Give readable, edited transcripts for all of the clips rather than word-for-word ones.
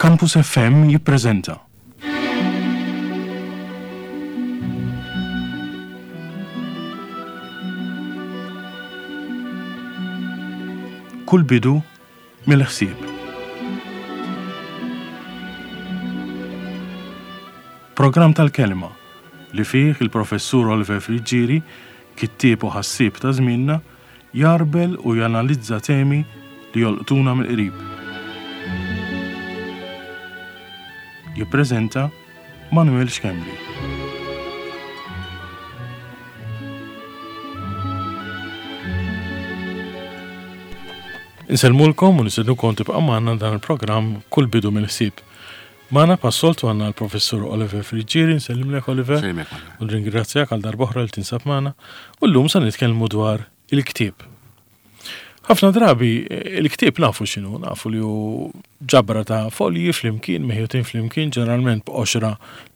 Campus FM jippreżenta. Kull bidu mill-ħsieb. Programm tal-kelma li fih il-Professur Oliver Friggieri, kittieb u ħassieb ta' żmienna, jgħarbel u janalizza temi li jolqtuna mill-qrib. Jippreżenta Manuel Schembri. Insellmulkom u nistednukom tibqa' magħna dan il-programm Kull Bidu mill-Ħsieb. Magħna bħas-soltu għandna l-Professur Oliver Friggieri, nsellimlek Oliver. Nsellimlek U nringrazzjak għal darb'oħra li tinsab magħna. U llum se nitkellmu dwar il-ktieb. Ħafna drabi il-ktieb nafu x'inhu, nafu li hu ġabra ta' folji flimkien, meħjutin flimkien, ġeneralment b'qoxra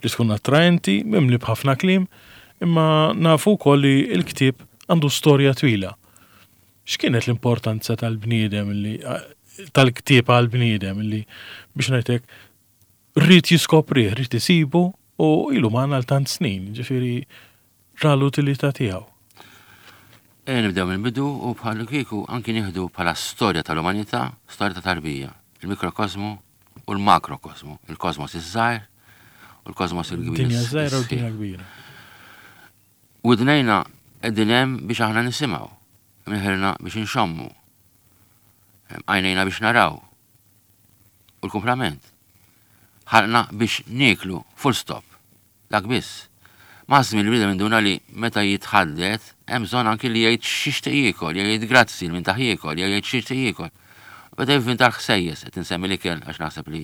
li tkun attraenti, mimli b'ħafna kliem, imma nafu wkoll li l-ktieb għandu storja twila. X'kienet l-importanza tal-bniedem li tal-ktieb għall-bniedem li biex ngħidlek ried jiskoprih, ried isibu u ilu magħna għal tant snin, ġifieri ra l-utilità tiegħu. Ejja nibdew mill-bidu u bħal kieku anki nieħdu bħala storja tal-umanità, storja ta' tarbija, il-mikrokosmu u l-makrokosmu, il-kosmos iż-żgħir u l-kosmos il-kbir. Dinja żgħira u dinja kbira. Widnejna qegħdin hemm biex aħna nisimgħu, imneħirna biex inxommu, għajnejna biex naraw. U l-kumplament. Ħalqna biex nieklu, full stop. Dak biss. Maż-żmien il-bniedem induna li meta jitħaddet hemm bżonn anki li jgħid x'jixtieq jiekol, jew jgħid grazzi lil min tah jiekol, jew jgħid x'jixtieq jiekol. Beda jivvinta l-ħsejjes, qed insemmi l-ikel għax naħseb li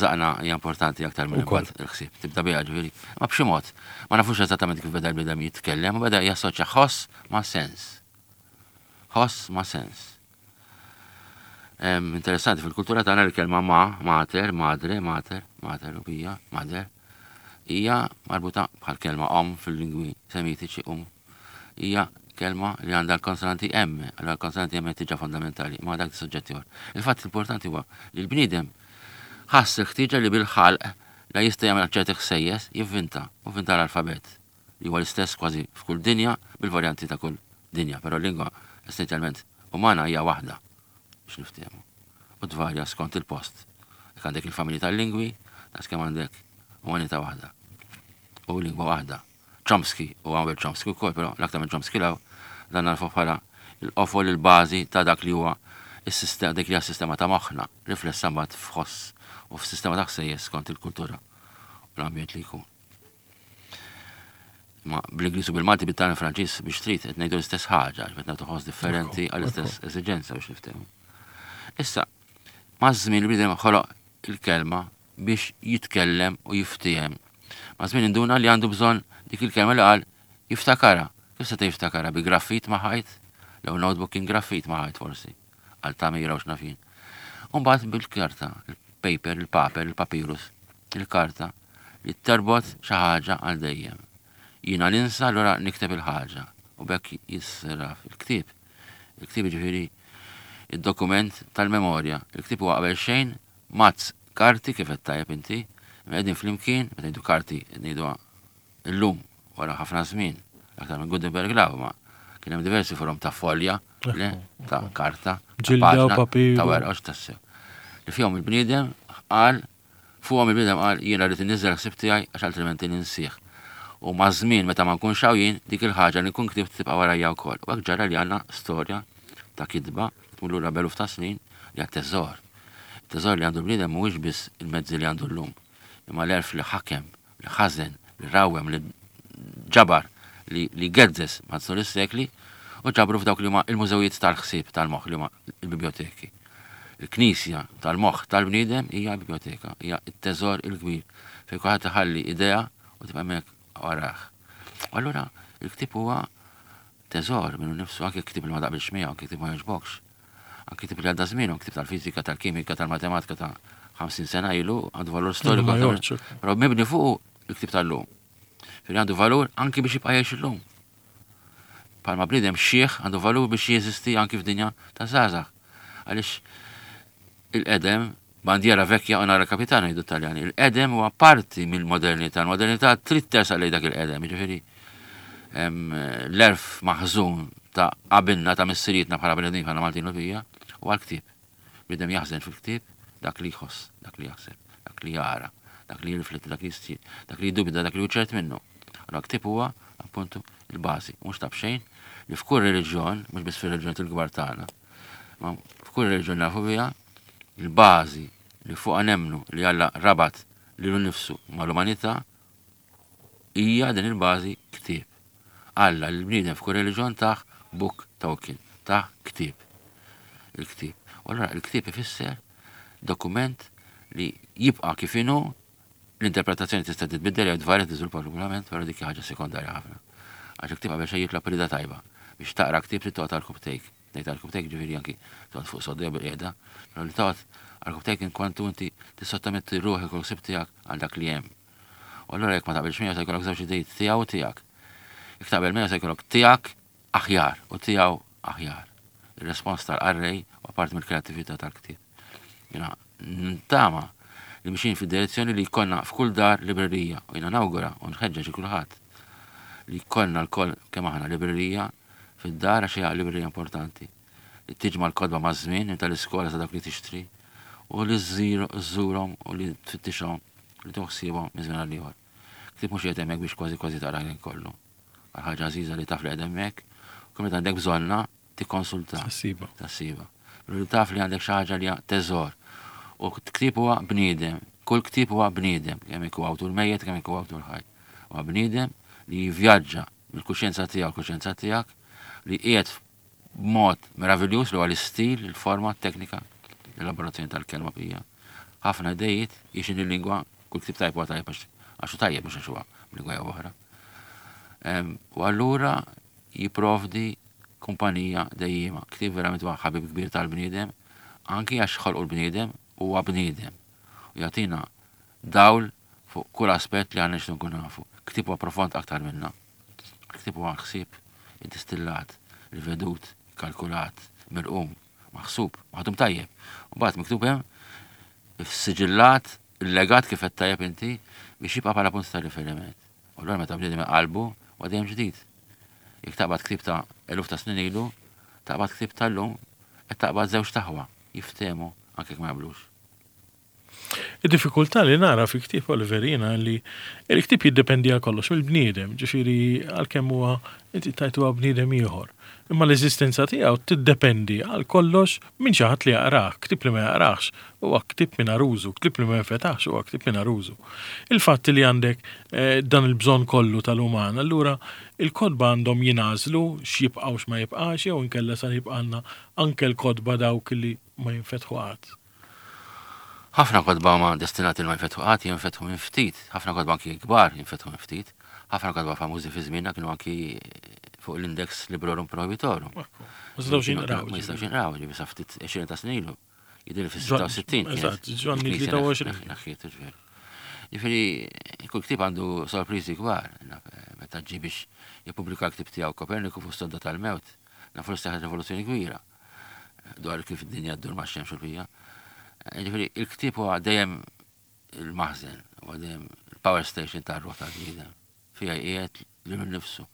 żaqna hija importanti aktar minn imbagħad il-ħsieb. Tibda biha ġifieri. Ma b'xi mod, ma nafux eżattament kif beda l-bniedem jitkellem, u beda jassoċja ħoss ma' sens. Ħoss ma' sens. Interessanti fil-kultura tagħna l-kelma ma, mater, madre, mater, mater u bija, mader, hija marbuta bħal kelma om fil-lingwi semitiċi um hija kelma li għandha l-konsonanti M, allura l-konsonanti M tiġa fondamentali, ma dak suġġett ieħor. Il-fatt importanti huwa li l-bniedem ħass il-ħtieġa li bil-ħalq la jista' jagħmel ċerti ħsejjes, jivvinta, u vvinta l-alfabet li huwa l-istess kważi f'kull dinja bil-varjanti ta' kull dinja, però l-lingwa essenzjalment umana hija waħda biex niftehmu. U tvarja skont il-post. Jekk għandek il-familji tal-lingwi, daqs kemm għandek umanità waħda. U lingwa waħda. Chomsky u għamel Chomsky wkoll, però l-aktar minn Chomsky law dan narfu bħala l-qofol il-bażi ta' dak li huwa is-sistema dik li hija s-sistema ta' moħħna, riflessa mbagħad f'ħoss u f'sistema ta' ħsejjes skont il-kultura u l-ambjent li jkun. Ma bl-Ingliż u bil-Malti bit-Taljan Franċiż biex trid qed ngħidu l-istess ħaġa, qed nagħtu ħoss differenti għall-istess esiġenza biex niftehmu. Issa, maż-żmien il-bniedem ħoloq il-kelma biex jitkellem u jiftiehem. Maż-żmien induna li għandu bżonn dik il-kelma li qal jiftakarha. Kif seta' jiftakarha? Bi graffit ma' ħajt? L-ewwel notebook kien graffit ma' ħajt forsi, għal tagħmira u x'naf jien. U mbagħad bil-karta, il-paper, il-paper, il-papyrus, il-karta li terbot xi ħaġa għal dejjem. Jiena ninsa allura nikteb il-ħaġa u b'hekk jissraf il-ktieb. Il-ktieb jiġifieri id-dokument tal-memorja. Il-ktieb huwa qabel xejn Mazz karti kif għedt tajjeb inti, imqegħdin flimkien, meta ngħidu karti qed ngħiduha illum wara ħafna żmien, l-aktar minn Gutenberg 'l hawn, ma kien hemm diversi forom ta' folja, le, ta' karta, ta' Ġilda u paġna, ta' papiru. werqa, hux tassew. Li fihom il-bniedem qal, fuqhom il-bniedem qal jiena rrid inniżżel ħsieb tiegħi għax altrimenti ninsieh. U maż-żmien meta ma nkunx hawn jien, dik il-ħaġa li nkun ktibt tibqa' warajja wkoll. U hekk ġara li għandna storja ta' kitba li tmur lura b'eluf ta' snin li hija teżor. It-teżor li għandu l-bniedem mhuwiex biss il-mezzi li għandu llum, imma l-għerf li ħakem, li ħażen, li rawwem, li ġabar, li, li gezzez matul is-sekli u ġabru f'dawk li huma il-mużewijiet tal-ħsieb tal-moħħ li huma l-bibljoteki. Il-knisja tal-moħħ tal-bniedem hija l-bibljoteka, hija t-teżor il-kbir fejn kulħadd iħalli idea u tibqa' hemmhekk warah. U allura il-ktieb huwa teżor minnu nnifsu, anke ktieb li ma taqbilx miegħu, anke ktieb ma jogħġbokx. Anki ktieb li għadda żmienu, ktieb tal-fiżika, tal-kimika, tal-matematika ta' 50 sena ilu, għandu valur storiku. Però mibni fuq il-ktieb tal-lum. Fil għandu valur anki biex jibqa' jgħix illum. Palma bniedem xieħ għandu valur biex jeżisti anki f'dinja ta' żgħażagħ. Għaliex il-qedem Bandiera vecchia onora capitano jgħidu Taljani. Il-qedem huwa parti mill-modernità. Il-modernità trid tersaq lejn dak il-qedem, jiġifieri l-għerf maħżun ta' qabilna ta' missirietna bħala bnedmin bħala Maltin u bija huwa l-ktieb. Bniedem jaħżen fil-ktieb dak li jħoss, dak li jaħseb, dak li jara, dak li jirrifletti, dak li jistir, dak li jiddubita, dak li hu ċert minnu. Allora ktieb huwa appuntu il-bażi, mhux ta' b'xejn li f'kull reliġjon, mhux biss fir-reliġjonijiet il-kbar tagħna, ma f'kull reliġjon nafu biha, il-bażi li fuqha nemmnu li Alla rabat lilu nnifsu mal-umanità hija din il-bażi ktieb. Alla lill-bniedem f'kull reliġjon tah book token, tah ktieb. Il-ktieb. U allura il-ktieb ifisser dokument li jibqa' kif inhu l-interpretazzjoni tista' titbiddel jew tvarja tiżviluppa regolament, però dik ħaġa sekondarja ħafna. Għax il-ktieb qabel xejn jitlob rida tajba. Biex taqra ktieb trid toqgħod għal Ngħid għarkupptejk ġifieri anki toqgħod fuq sodda jew bilqiegħda, però li toqgħod għarkupptejk inkwantu inti tissottometti ruħek u l-ħsieb tiegħek għal dak li hemm. U allura jekk ma taqbilx miegħu se jkollok żewġ idejiet tiegħu u tiegħek. Jekk taqbel miegħu se jkollok tiegħek aħjar u tiegħu aħjar. Ir-respons tal-qarrej huwa parti mill-kreattività tal-ktieb. Jiena ntama li mixin fid-direzzjoni li jkollna f'kull dar librerija u jiena nawgura u nħeġġeġ lil kulħadd li jkollna lkoll kemm aħna librerija fid-dar għax hija librerija importanti li tiġma' l-kotba maż-żmien minn tal-iskola sa dawk li tixtri u li żżurhom u li tfittixhom li tieħu ħsiebhom minn żmien għal ieħor. Ktieb mhux qiegħed hemmhekk biex kważi kważi taqra ħin kollu. Għal ħaġa għażiża li taf li qiegħed hemmhekk u kemm meta għandek bżonnha tikkonsulta. Tassiba. Tassiba. Li taf li għandek xi ħaġa li hija teżor. U ktieb huwa bniedem. Kull ktieb huwa bniedem, kemm ikun awtur mejjet, kemm ikun awtur ħaj. Huwa bniedem li jivvjaġġa mill-kuxjenza tiegħu l-kuxjenza tiegħek li qiegħed b'mod meraviljuż li huwa l-istil, il-forma, t-teknika, l-elaborazzjoni tal-kelma bija. Ħafna idejiet jixin il-lingwa, kull ktieb tajjeb huwa tajjeb għax hu tajjeb mhux għax huwa b'lingwa jew oħra. U allura jipprovdi kumpanija dejjiema. Ktieb verament huwa ħabib kbir tal-bniedem, anki għax ħolqu l-bniedem huwa bniedem. U jagħtina dawl fuq kull aspett li aħna nixtiequ nkunu nafu. Ktieb huwa profond aktar minna. Ktieb huwa ħsieb iddistillat, rivedut, ikkalkulat, mirqum, maħsub, maħdum tajjeb. U mbagħad miktub hemm issiġillat, illegat kif qed tajjeb inti biex jibqa' bħala punt ta' riferiment. U allura meta bniedem iqallbu huwa dejjem ġdid. Jekk taqbad ktieb ta' eluf ta' snin ilu, taqbad ktieb tal-lum, qed taqbad żewġ taħwa jiftehmu anke jekk ma jaqblux. Id-diffikultà li nara fi ktieb Oliver jiena li il-ktieb jiddependi għal kollox mill-bniedem, ġifieri għalkemm huwa inti tajt huwa bniedem ieħor. Imma l-eżistenza tiegħu tiddependi għal kollox minn xi ħadd li jaqrah. Ktieb li ma jaqrahx huwa ktieb mingħajr użu, ktieb li ma jinfetaħx huwa ktieb mingħajr użu. Il-fatt li għandek eh, dan il-bżonn kollu tal-uman, allura il-kotba għandhom jingħażlu x'jibqa' u x'ma jibqax jew inkella sa jibqalna anke l-kotba dawk li ma jinfetħu qatt. Ħafna kotba huma destinati li ma jinfetħu qatt, jinfetħu minn ftit. Ħafna kotba anki kbar jinfetħu minn ftit. Ħafna kotba famużi fi żmienna kienu anki fuq l-Index Librorum Prohibitorum. Ma jistgħux jinqraw. Ma jistgħux jinqraw, ġifieri sa ftit 20 ta' snin ilu. Jidher fis-66. Eżatt, Ġwanni 23. Naħħiet, ġifieri. Ġifieri, kull ktieb għandu sorpriżi kbar. Meta ġie biex jippubblika l-ktieb tiegħu Koperniku fuq sodda tal-mewt, nafu li seħħet rivoluzzjoni kbira. dwar kif id-dinja ddur ma' xemx u l-bija. Eh, ġifieri, il-ktieb huwa dejjem il-maħżen, huwa dejjem il-power station tar-ruħ tal-bniedem. Fija qiegħed lilu nnifsu.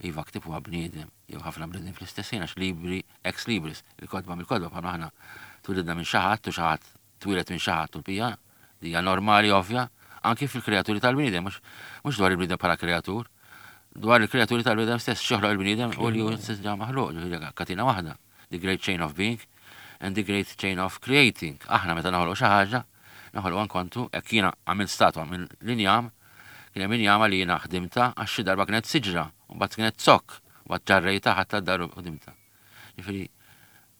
Iva ktieb huwa bniedem, jew ħafna bniedem fl-istess ħin għax libri ex libris, il-kotba mill-kotba bħalma aħna twilidna minn xi ħadd u xi ħadd twieled minn xi ħadd u l-bija, li hija normali ovvja, anki fil-kreaturi tal-bniedem, mhux dwar il-bniedem bħala kreatur, dwar il-kreaturi tal-bniedem stess, x'joħloq il-bniedem u li hu stess ġa maħluq, ġifieri katina waħda, the great chain of being and the great chain of creating. Aħna meta noħolqu xi ħaġa, noħolqu ankontu, hekk jiena għamilt statwa minn l-injam, kien hemm injama li jiena ħdimta għax xi darba kienet siġra, u mbagħad kienet zokk, u mbagħad ġarrejta ħadtha d-dar u ħdimtha. Ġifieri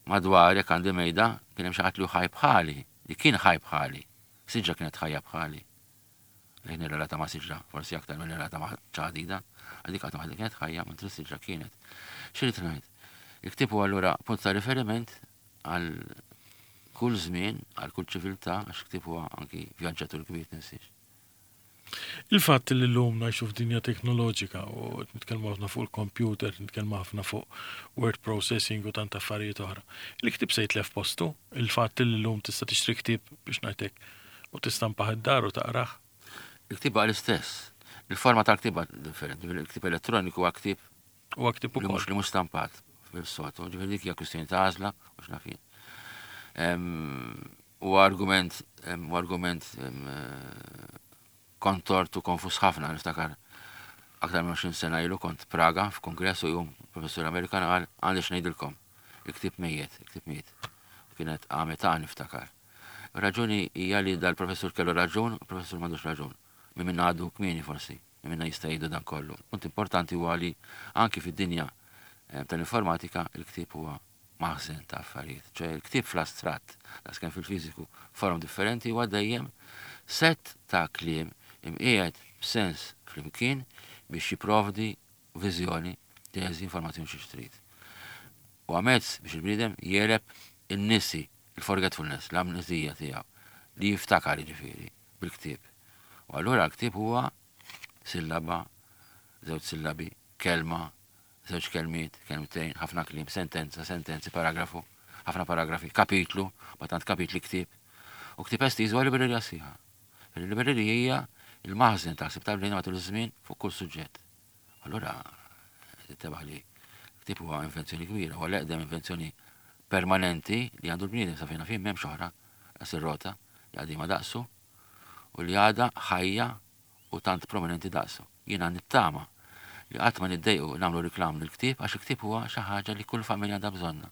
Madwar, jekk għandi mejda, kien hemm xi ħadd li hu ħaj bħali, li kien ħaj bħali. Siġra kienet ħajja bħali. Lejn nirrelata ma' siġra, forsi aktar milli nirrelata ma' ċaħdida, għal dik qatt waħda kienet ħajja, mentri s-siġra kienet. X'irrid ngħid? Il-ktieb huwa allura punt ta' riferiment għal kull żmien, għal kull ċiviltà, għax ktieb huwa anki vjaġġatur kbir tinsiex. Il-fatt li llum ngħixu f'dinja teknoloġika u qed nitkellmu ħafna fuq il-computer, nitkellmu ħafna fuq word processing u tant affarijiet oħra. Il-ktieb se jitlef postu, il-fatt li llum tista' tixtri ktieb biex ngħidlek u tistampah id-dar u taqrah. Il-ktieb baqa' l-istess. Il-forma tal-ktieb differenti. Il-ktieb elettroniku huwa ktieb Huwa ktieb ukoll. Li mhux stampat fil-soltu. Ġifieri dik hija kwistjoni ta' għażla u x'naf jien. Huwa argument huwa argument kontort u konfus ħafna niftakar aktar minn 20 sena ilu kont Praga f'kongress u jum professur Amerikan qal għandi x'ngħidilkom. Il-ktieb mejjet, il-ktieb miet. Kienet għamet niftakar. Raġuni hija li dal-professur kellu raġun, u professur m'għandux raġun. Min minna għadu kmieni forsi, min minna jista' jgħidu dan kollu. Punt importanti huwa li anki fid-dinja eh, tal-informatika il-ktieb huwa maħżen ta' affarijiet. ċoè il-ktieb fl-astratt, daqskemm fil-fiżiku, forom differenti huwa dejjem sett ta' kliem imqiegħed b'sens flimkien biex jipprovdi viżjoni, teżi, informazzjoni xi trid. Huwa mezz biex il-bniedem jegħleb in-nisi, il-forgetfulness, l-amneżija tiegħu, li jiftakar jiġifieri bil-ktieb. U allura l-ktieb huwa sillaba, żewġ sillabi, kelma, żewġ kelmiet, kelmtejn, ħafna kliem, sentenza, sentenzi, paragrafu, ħafna paragrafi, kapitlu, ma tant kapitli ktieb. U ktieb estiż huwa librerija sħiħa. Il-librerija hija il-maħżen ta' ħsieb tal-bniedem matul iż-żmien fuq kull suġġett. Allura, tintebah li ktieb huwa invenzjoni kbira, huwa l-eqdem invenzjoni permanenti li għandu l-bniedem sa fejn naf jien m'hemmx oħra daqs ir-rota li qadima daqsu u li għadha ħajja u tant prominenti daqsu. Jiena nittama li qatt ma niddejqu nagħmlu riklam lill-ktieb għax il-ktieb huwa xi ħaġa li kull familja għandha bżonnha.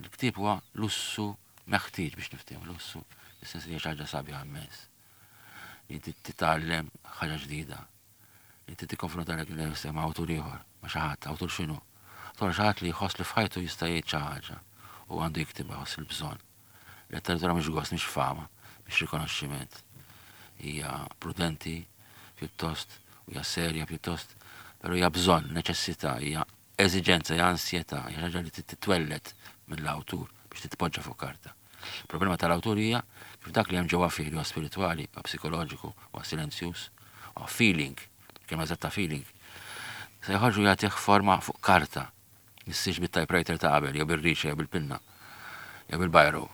Il-ktieb huwa lussu meħtieġ biex niftehmu, lussu fis-sens li hija xi ħaġa sabiħa immens. Li inti titgħallem ħaġa ġdida. Li inti tikkonfronta lek nifsek ma' awtur ieħor, ma' xi ħadd, awtur x'inhu? Awtur xi ħadd li jħoss li f'ħajtu jista' jgħid xi ħaġa u għandu jiktibha jħoss il-bżonn. Letteratura mhix gost, mhix fama, mhix rikonoxximent. Hija prudenti pjuttost, u hija serja pjuttost, però hija bżonn, neċessità, hija eżiġenza, hija ansjetà, hija ħaġa li titwelled mill-awtur biex titpoġġa fuq karta. Il-problema tal-awtur hija kif dak li hemm ġewwa fih li huwa spiritwali, huwa psikoloġiku, huwa silenzjuż, huwa feeling, kelma eżatta feeling, se joħorġu jagħtih forma fuq karta Issirx bit-typewriter ta' qabel, jew bir-rixa, jew bil-pinna, jew bil-biro,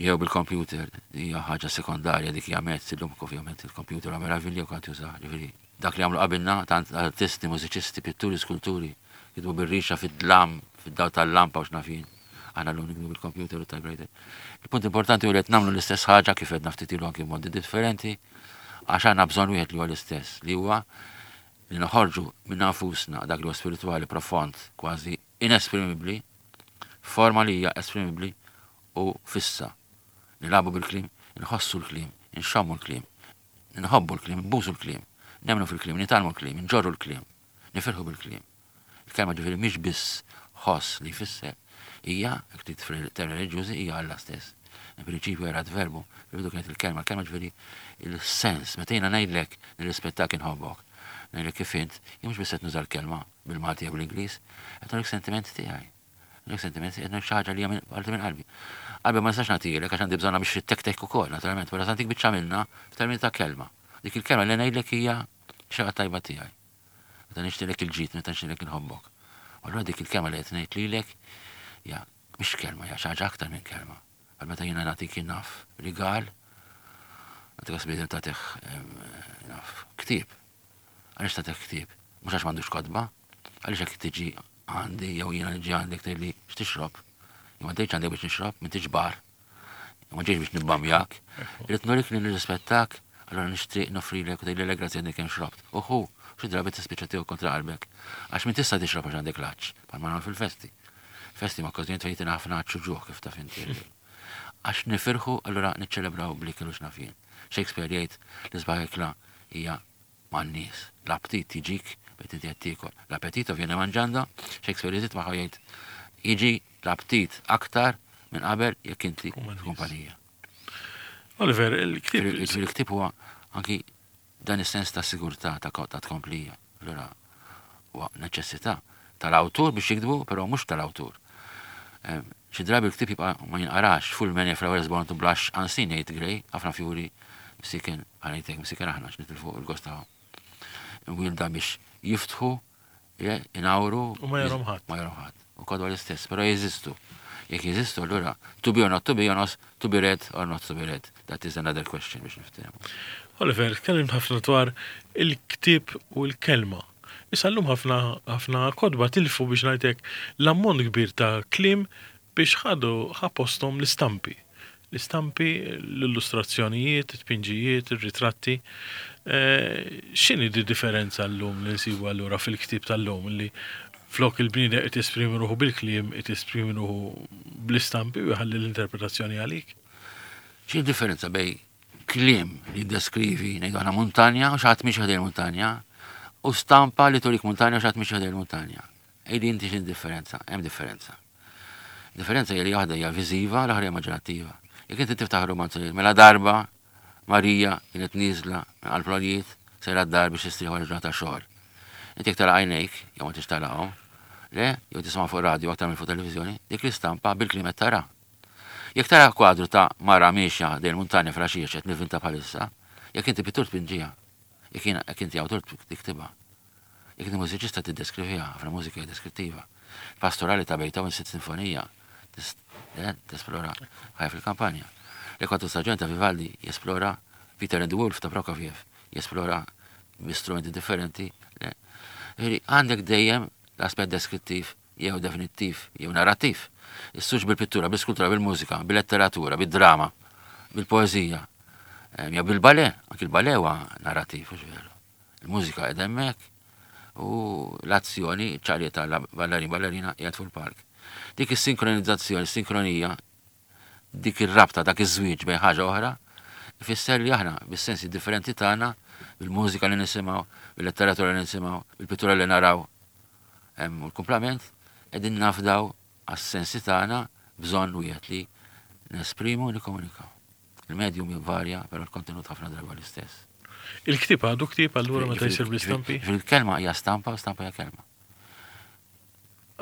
jew bil-computer, hija ħaġa sekondarja dik hija mezz illum ovvjament il-computer huwa meravilja u kant jużah, ġifieri dak li għamlu qabilna tant artisti, mużiċisti, pitturi, skulturi, kitbu bir-rixa fid-dlam, fid-dawl tal-lampa u x'naf jien. Aħna llum nikbu bil-computer u typewriter. Il-punt importanti hu li qed nagħmlu l-istess ħaġa kif għedna ftit ilu anki b'modi differenti, għax għandna bżonn wieħed li huwa l-istess, li huwa li noħorġu minna nfusna dak li huwa spiritwali profond, kważi inesprimibbli, f'forma li hija esprimibbli u fissa. Nilagħbu bil-kliem, inħossu l-kliem, inxommu l-kliem, nħobbu l-kliem, nbusu l-kliem, nemmnu fil-kliem, nitgħallmu l-kliem, inġorru l-kliem, nifirħu bil-kliem. Il-kelma ġifieri mhix biss ħoss li jfisser, hija, jekk trid fil-termini reliġjużi, hija Alla stess. In prinċipju erat verbu, fil-bidu kienet il-kelma, il-kelma ġifieri il-sens, meta jiena ngħidlek nirrispettak inħobbok, ngħidlek kif int, jien mhux biss qed nuża l-kelma bil-Malti jew bl-Ingliż, qed nurik sentiment tiegħi. Nurik sentiment, qed nurik xi ħaġa li hija parti minn qalbi. Qalbi ma nistax nagħtihielek għax għandi bżonnha biex ittektek ukoll, naturalment, però se nagħtik biċċa minnha f'termini ta' kelma. Dik il-kelma li ngħidlek hija xi ħaġa tajba tiegħi. Meta nixtieqlek il-ġid, meta nixtieqlek inħobbok. U allura dik il-kelma li qed ngħid lilek hija mhix kelma, hija xi ħaġa aktar minn kelma. Għal meta jiena nagħtik naf rigal, nagħtik għas tagħtih naf ktieb. Għaliex tagħtih ktieb? Mhux għax m'għandux kotba, għaliex jekk tiġi għandi jew jiena niġi għandek tgħidli x'tixrob. Jew ma tgħidx għandek biex nixrob, m'intix bar. Ma ġejx biex nibbamjak. Irrid nurik li nirrispettak, allura nixtieq noffrilek u tgħidli le grazzi għadni kemm xrobt. U ħu, xi drabi tispiċċa tieħu kontra qalbek. Għax min tista' tixrob għax għandek l-għatx, bħalma nagħmlu fil-festi. Festi ma' okkażjonijiet fejn jtina ħafna għatx u ġuħ kif taf inti. Għax nifirħu allura niċċelebraw bl-ikel u x'naf jien. Shakespeare jgħid l-isbaħ ikla hija man-nies. L-aptit jiġik meta inti qed tiekol. L-appetito viene mangiando, Shakespeare jżid magħha jgħid jiġi l-aptit aktar minn qabel jekk inti f'kumpanija. Oliver, il-ktieb. Il-ktieb huwa anki dan is-sens ta' sigurtà ta' tkomplija. Allura huwa neċessità tal-awtur biex jiktbu, però mhux tal-awtur. Xi drabi l-ktieb jibqa' ma jinqarax, full many flowers born to blush unseen jgħid Gray, ħafna fjuri msiken, ħa ngħid hekk, msiken aħna għax nitilfu l-gost tagħhom. Imwielda biex jiftħu, inawru. U ma jarhom ħadd. Ma jarhom ħadd. U kodwa l-istess, però jeżistu. Jekk jeżistu allura to be or not to be, or to be read or not to be read. That is another question biex niftehmu. Oliver, tkellimt ħafna dwar il-ktieb u l-kelma. Issa llum ħafna ħafna kotba tilfu biex ngħid hekk l-ammont kbir ta' kliem biex ħadu ħa posthom l-istampi. L-istampi, l-illustrazzjonijiet, it-tpinġijiet, ir-ritratti. X'inhi di differenza llum li nsibu allura fil-ktieb tal-lum li flok il-bniedem qed jesprimi ruħu bil-kliem, qed jesprimi ruħu bl-istampi u jħalli l-interpretazzjoni għalik? X'inhi d-differenza bejn kliem li jiddeskrivi, ngħidu aħna muntanja u xi ħadd miexi ħdejn muntanja, u stampa li turik muntanja u xi ħadd miexi ħdejn muntanja. Għidi inti x'inhi differenza? Hemm differenza. Differenza hija li waħda hija viżiva, l-oħra immaġinattiva. Jekk inti tiftaħ romanzu li mela darba Marija kienet nieżla minn qalb l-għoljiet sejra d-dar biex tistrieħ wara ġurnata xogħol. Inti jekk tara għajnejk, jew ma tix tarahom, le, jew tisma' fuq radio aktar minn fuq televiżjoni, dik l-istampa bil-kliem qed tara. Jekk tara kwadru ta' mara miexja ħdejn muntanja filgħaxija x'qed nivvinta bħalissa, jekk inti pittur tpinġiha. Jekk jiena jekk inti awtur tiktibha. Jekk inti mużiċista tiddeskriviha, ħafna mużika hija deskrittiva. Pastorali ta' Beethoven sitt sinfonija tesplora ħajja fil-kampanja. Le Quattro Stagioni ta' Vivaldi jesplora Peter and the Wolf ta' Prokofiev jesplora bi strumenti differenti. Għandek dejjem l-aspett deskrittiv jew definittiv jew narrattiv. Issux bil-pittura, bil-skultura, bil-mużika, bil-letteratura, bil-drama, bil-poeżija, jew bil-ballet, anki il-ballet huwa narrattiv, mhux veru. Il-mużika qiegħda hemmhekk u l-azzjoni ċarja tal-ballerin ballerina qiegħed fuq il-palk. Dik is-sinkronizzazzjoni, sinkronija, dik ir-rabta, dak iż-żwieġ bejn ħaġa oħra, ifisser li aħna bis-sensi differenti tagħna, bil-mużika li nisimgħu, bil-letteratura li nisimgħu, bil-pittura li naraw, u l-kumplament, qegħdin nafdaw għas-sensi tagħna bżonn wieħed li nesprimu u nikkomunikaw. Il-medium jvarja, però l-kontenut ħafna drabi l-istess. Il-ktieb għadu ktieb allura meta jsir bl-istampi? Il-kelma hija stampa u stampa hija kelma.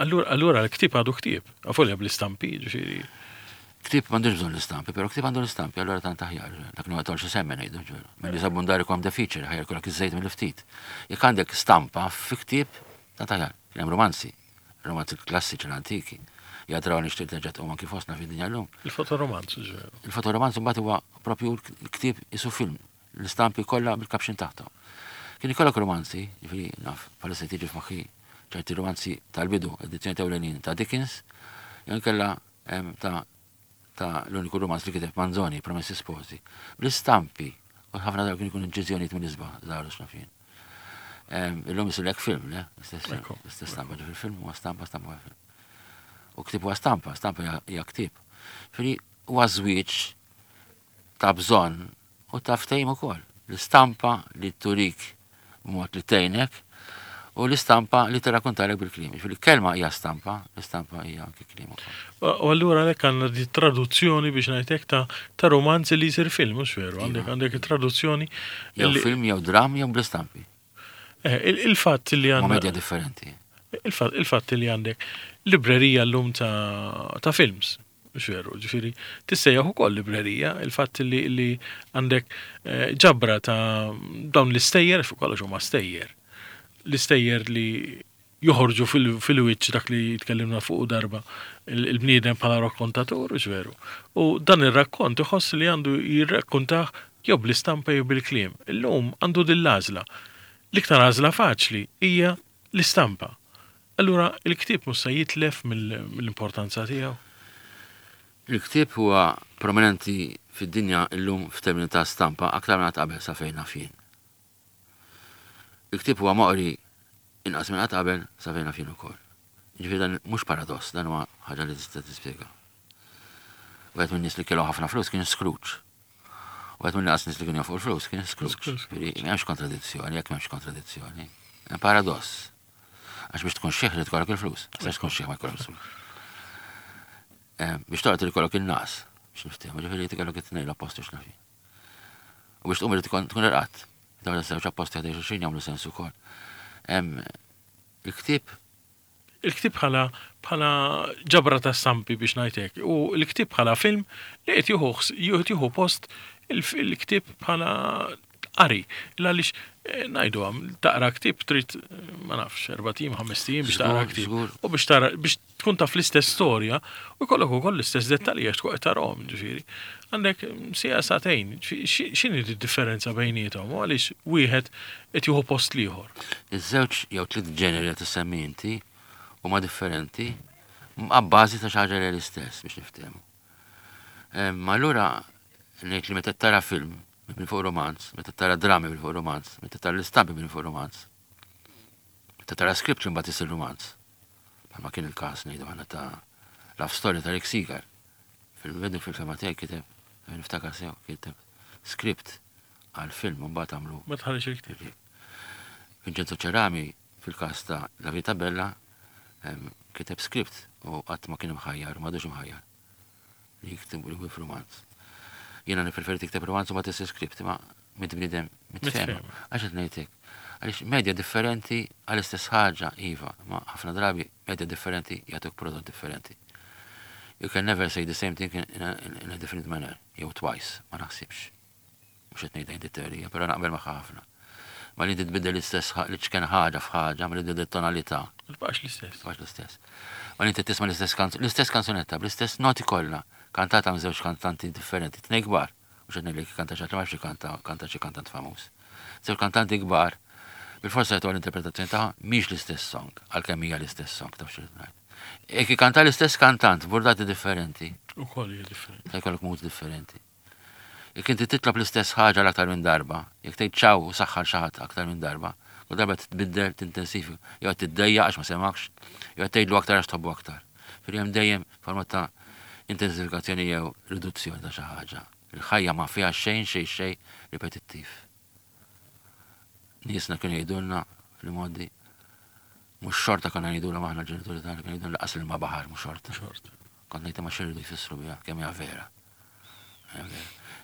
Allura, allura l-ktieb għadu ktieb, avolja bl-istampi, ġifieri. Ktieb m'għandux bżonn l-istampi, però ktieb għandu l-istampi, allura tant aħjar. Dak li ma tolx semmen ngħidu ġveru. Milli sabundari kom the feature, ħajja jkollok iż-żejt mill-ftit. Jekk għandek stampa fi ktieb, tant aħjar. Kien hemm romanzi, romanzi klassiċi l-antiki. Jadraw nixtieq terġa' tqum anki fostna fid-dinja llum. Il-fotoromanz, ġveru. Il-fotoromanz mbagħad huwa propju l-ktieb isu film, l-istampi kollha bil-caption taħthom. Kien ikollok romanzi, ġifieri naf, bħalissa tiġi f'moħħi ċerti romanzi tal-bidu, edizzjoni tewlenin ta' Dickens, jew inkella ta' ta' l-uniku romanz li kiteb Manzoni, Promessi Sposi, bl-istampi, u ħafna darba kien ikun inċiżjonijiet minn isbaħ, żgħar u x'naf jien. Illum isirlek film, le? L-istess stampa, ġifieri film huwa stampa, stampa huwa film. U ktieb huwa stampa, stampa hija ktieb. Ġifieri huwa żwieġ ta' bżonn u ta' ftehim ukoll. L-istampa li turik b'mod li tgħinek u l-istampa li tirrakkontalek bil-kliem. Ġifieri kelma hija stampa, l-istampa hija anke kliem ukoll. U allura għalhekk għandna di traduzzjoni biex ngħidlek ta' ta' romanzi li jsir film, mhux veru? Għandek għandek traduzzjoni. Jew film jew dram jew bl-istampi. Eh, il-fatt li għandna. Media differenti. Il-fatt li għandek librerija llum ta' ta' films. Mhux veru, ġifieri tissejjaħ ukoll librerija, il-fatt li, li għandek eh, ġabra ta' dawn l-istejjer, fuq kollox huma stejjer. L-istejjer li joħorġu fil-wiċċ dak li tkellimna fuq darba il-bniedem bħala rakkontatur, mhux veru. U dan ir-rakkont iħoss li għandu jirrakkontah jew bl-istampa jew bil-kliem. Illum għandu din l-għażla. L-iktar għażla faċli hija l-istampa. Allura il-ktieb mhux se jitlef mill-importanza tiegħu? Il-ktieb huwa prominenti fid-dinja llum f'termini ta' stampa aktar minn qatt qabel sa fejn naf jien. Il-ktieb huwa moqri inqas minn qatt qabel sa fejn naf jien ukoll. Jiġifieri dan mhux paradoss, dan huwa ħaġa li tista' tispjega. Wieħed min-nies li kellhom ħafna flus kien Scrooge. Wieħed mill-inqas nies li kienu jafu l-flus kien Scrooge. Jiġifieri m'hemmx kontradizzjoni, jekk m'hemmx kontradizzjoni. Hemm paradoss. Għax biex tkun xieħ li tkollok il-flus. Għax tkun xieħ ma jkollok il-flus. Eh, biex toqgħod li jkollok il-nas, biex niftehmu, ġifieri tikollok it-tnejn l-apposti x'nafi. U biex tqum li tkun tkun irqatt. Dawn iż-żewġ apposti ħdejn xulxin jagħmlu sens ukoll. Il-ktieb. Il-ktieb bħala bħala ġabra ta' stampi biex ngħid hekk u l-ktieb bħala film li qed jieħu qed jieħu post il-ktieb bħala qari. Għaliex eh, ngħidu għam, taqra ktieb trid ma nafx 4 ijiem, 5 ijiem biex taqra ktieb. U biex tara biex tkun taf l-istess storja u jkollok ukoll l-istess dettalji għax tkun qed tarahom, ġifieri. Għandek siegħa sagħtejn, x'inhi d-differenza bejniethom u għaliex wieħed qed jieħu post l-ieħor? Iż-żewġ jew tliet ġeneri li tissemmi inti huma differenti abbażi ta' xi ħaġa li l-istess biex niftehmu. Ma allura ngħid li meta tara film minn fuq romanz, meta tara drammi minn fuq romanz, meta tara l-istampi minn fuq romanz, meta tara script li mbagħad isir romanz. Bħalma kien il-każ ngħidu aħna ta' Love Story ta' Rick Seeger. Fil-bidu fil-fema tiegħi kiteb, niftakar sew, kiteb script għal film u mbagħad għamlu. Ma tħallix il-ktieb. Vincenzo Cerami fil-każ ta' La Vita Bella kiteb script u qatt ma kien imħajjar, m'għadux imħajjar li jikteb li jkun romanz. Jiena nippreferi tikteb romanz u ma tissir script, ma mit bniedem mitfehma. Għax qed ngħidlek. Għaliex medja differenti għall-istess ħaġa, iva, ma ħafna drabi medja differenti jagħtuk prodott differenti. You can never say the same thing in a different manner, jew twice, ma naħsibx. Mhux qed ngħidha inti teorija, però naqbel magħha ħafna. Ma li titbiddel l-istess li ċken ħaġa f'ħaġa, ma li tbiddel tonalità. Tibqax l-istess. Tibqax l-istess. Ma li inti tisma' l-istess kanzunetta bl-istess noti kollha, kantata minn żewġ kantanti differenti, tnej kbar. Mhux qed ngħidlek kanta xi ħadd li ma jafx ikanta, kanta xi kantant famuż. Żewġ kantanti kbar, bil-forsa jagħtu l-interpretazzjoni tagħha mhix l-istess song, għalkemm hija l-istess song taf xi ngħid. Jekk ikanta l-istess kantant burdati differenti. Ukoll hija differenti. Ta' jkollok mood differenti. Jekk inti titlob l-istess ħaġa l-aktar minn darba, jekk tgħid ċaw u saħħar xi ħadd aktar minn darba, kull darba titbiddel, tintensifika, jew qed tiddejjaq għax ma semgħekx, jew qed tgħidlu aktar għax tħobbu aktar. Ġifieri hemm dejjem forma ta' intensifikazzjoni jew riduzzjoni ta' xi ħaġa. Il-ħajja ma fiha xejn xejn xejn ripetittiv. Niesna kienu jgħidulna fl-imgħoddi mhux xorta konna ngħidulhom aħna l-ġenituri tagħna kienu jgħidulna laqas ilma baħar mhux xorta. Xorta. Kont ngħid ma x'iridu jfissru biha kemm hija vera.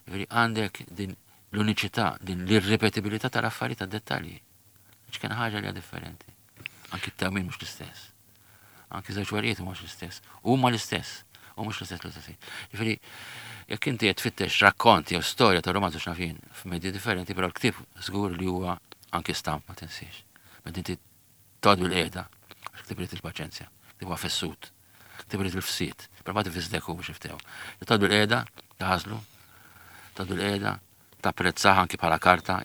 Ġifieri għandek din l-uniċità, din l-irripetibilità tal-affarijiet tad-dettalji. X'kien ħaġa li hija differenti. Anki t-tewmin mhux l-istess. Anki żewġ werijiet mhux l-istess. Huma l-istess. U mhux l-istess l-istess. Ġifieri, jekk inti qed tfittex rakkont jew storja ta' romanzu x'nafin f'medji differenti, però l-ktieb żgur li huwa anki stamp ma tinsiex. Meta inti toqgħod bil-qiegħda, għax ktieb irid il-paċenzja, ktieb huwa fessut, ktieb irid il-fsied, però ma tifisdek hu biex niftehmu. Toqgħod bil-qiegħda, taħażlu, toqgħod bil-qiegħda, tapprezzah anki bħala karta,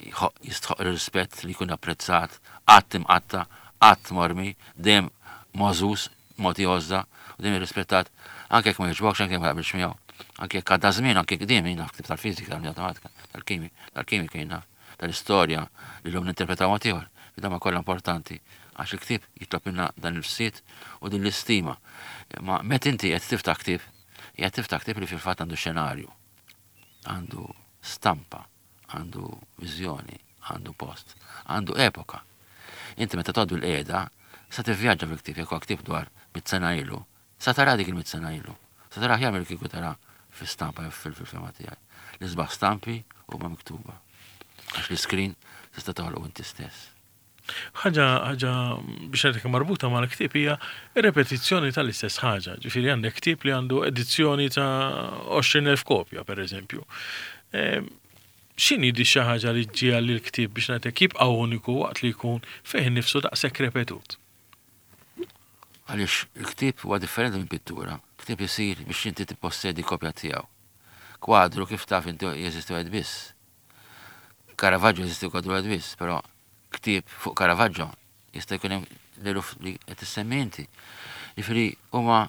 jistħoq ir-rispett li jkun apprezzat, qatt imqatta', qatt mormi, dejjem mogħżuż, mogħti għożża u dejjem irrispettat, anke jekk ma jogħġbokx, anke jekk ma taqbilx miegħu, anke jekk għadda żmien, anke jekk dejjem jien naf ktieb tal-fiżika, tal-matematika, tal-kimi, tal-kimika jien naf, tal-istorja li llum ninterpretaw mod ieħor, li dawn kollha importanti għax il-ktieb jitlob minna dan il-fsied u din l-istima. Ma meta inti qed tiftaħ ktieb, qiegħed tiftaħ ktieb li fil-fatt għandu xenarju. Għandu stampa, għandu viżjoni, għandu post, għandu epoka. Inti meta tgħoddu l-qiegħda, sa tivvjaġġa fil-ktieb, jekk huwa ktieb dwar 100 sena ilu, sa tara dik il-100 sena ilu. Sa tara aħjar milli kieku tara fi stampa jew fil-fema tiegħi. L-isbaħ stampi huma miktuba. Għax l-iskrin tista' toħloq inti stess. Ħaġa biex ngħidlek marbuta mal-ktieb hija repetizzjoni tal-istess ħaġa. Ġifieri għandek ktieb li għandu edizzjoni ta' 20,000 kopja, per eżempju. X'inhi di xi ħaġa li ġġiegħel lill-ktieb biex ngħidlek jibqa' uniku waqt li jkun fih innifsu daqshekk repetut? Għaliex il-ktieb huwa differenti minn pittura. Ktieb isir biex inti tippossedi kopja tiegħu. Kwadru kif taf inti jeżisti wieħed biss. Caravaggio jeżisti kwadru wieħed biss, però ktieb fuq Caravaggio jista' jkun hemm l-eluf li qed issemmi inti. Jiġifieri huma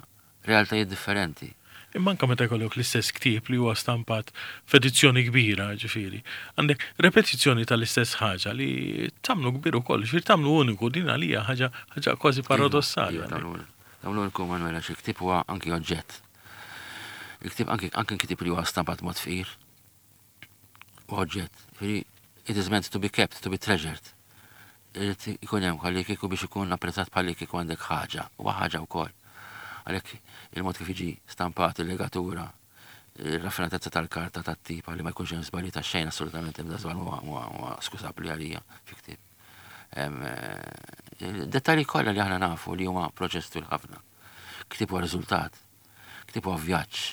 realtajiet differenti. Imma anke meta jkollok l-istess ktieb li huwa stampat f'edizzjoni kbira, ġifieri, għandek repetizzjoni tal-istess ħaġa li tagħmlu kbir ukoll, ġifieri tagħmlu uniku din għalija ħaġa ħaġa kważi paradossali. Iva, tagħmlu uniku Manuel għax il-ktieb huwa anki oġġett. Il-ktieb anki anki ktieb li huwa stampat mod fqir u oġġett. Ġifieri it is meant to be kept, to be treasured. Irid ikun hemm ħalli kieku biex ikun apprezzat bħalli kieku għandek ħaġa, huwa ħaġa wkoll. Għalhekk il-mod kif jiġi stampat il-legatura, il-raffinatezza tal-karta tat-tip li ma jkunx hemm żbalji ta' xejn assolutament ebda żball huwa skużabbli għalija fi ktieb. Dettalji kollha li aħna nafu li huma proċess twil ħafna. Ktieb huwa riżultat, ktieb huwa vjaġġ,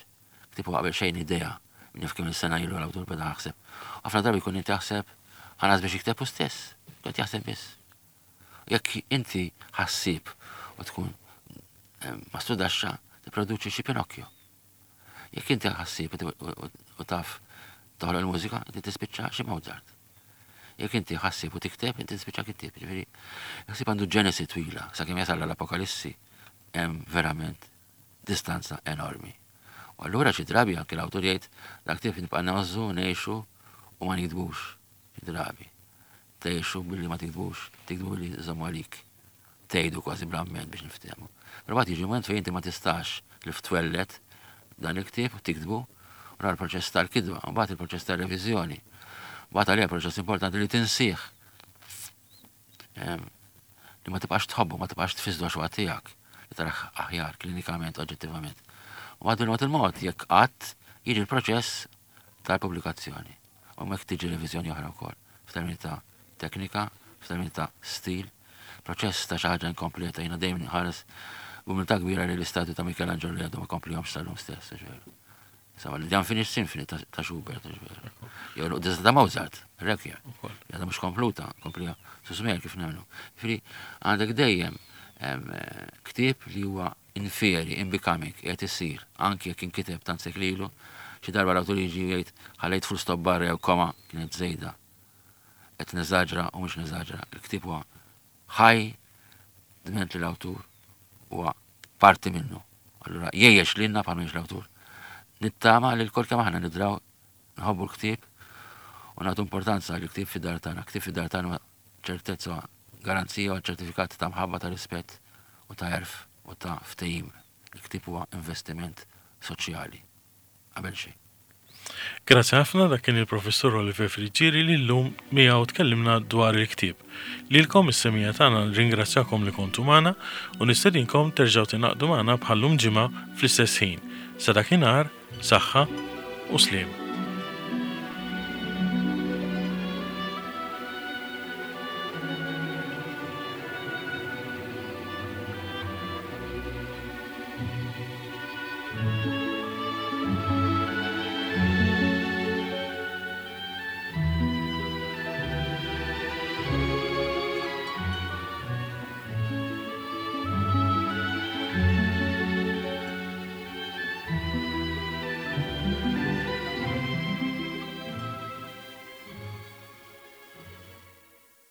ktieb huwa qabel xejn idea. Min jaf kemm sena ilu l-awtur beda jaħseb. Ħafna drabi jkun inti jaħseb ħanas biex jikteb hu stess, qed jaħseb biss. Jekk inti ħassieb u tkun eh, mastrudaxxa, tipproduċi xi Pinocchio. Jekk inti ħassieb u taf toħloq il-mużika, inti tispiċċa xi Mozart. Jekk inti ħassieb u tikteb, inti tispiċċa kittieb. Ġifieri, ħsieb għandu ġenesi twila, sakemm jasal l-Apokalissi, hemm verament distanza enormi. U allura xi drabi anke l-awtur jgħid dak ktieb nibqa' ngħożżu, ngħixu u ma nikdbux xi drabi. Tgħixu billi ma tiktbux, tiktbu billi żommu għalik. Tgħidu kważi bl-amment biex niftehmu. Però mbagħad jiġi mument fejn inti ma tistax li ftwellet dan il-ktieb u tiktbu, u l-proċess tal-kitba, u mbagħad il-proċess tal-reviżjoni. Mbagħad għalija proċess importanti li tinsih. Li ma tibqax tħobbu, ma tibqax tfisdu għax huwa tiegħek, li taraħ aħjar klinikament, oġġettivament. U mbagħad bil-mod il-mod jekk qatt jiġi l-proċess tal-pubblikazzjoni. U hemmhekk tiġi reviżjoni oħra wkoll, f'termini ta' teknika, f'termini ta' stil, proċess ta' xi ħaġa inkompleta, jiena dejjem nħares b'umiltà kbira li l-istatwi ta' Michelangelo li għadu ma komplihomx sal-lum stess, ġveru. Insomma, The Unfinished Symphony ta' Schubert, ġveru. Jew l-Quddiesa ta' Mozart, Requiem. Għadha mhux kompluta, komplija susmer kif nemmnu. Ġifieri għandek dejjem ktieb li huwa in fieri, in becoming, qiegħed isir, anki jekk inkiteb tant sekli ilu, xi darba l-awtur jiġi u jgħid ħallejt full stop barra jew koma kienet żejda. Qed neżaġra u mhux neżaġra, il-ktieb huwa ħaj dment li l-awtur huwa parti minnu. Allura jgħix lilna bħal mhux l-awtur. Nittama li l-kol kemm aħna nidraw nħobbu l-ktieb u nagħtu importanza li ktieb fid-dar tagħna. Ktieb fid-dar tagħna ċertezza, garanzija u ċertifikat ta' mħabba ta' rispett u ta' għerf u ta' ftehim. Il-ktieb huwa investiment soċjali. Qabel xejn. Grazzi ħafna dak kien il-Professur Oliver Friggieri li llum miegħu tkellimna dwar il-ktieb. Lilkom is-semija tagħna nirringrazzjakom li kontu magħna u nistedinkom terġgħu tingħaqdu magħna bħal-lum ġimgħa fl-istess ħin. Sa dakinhar, saħħa u sliem.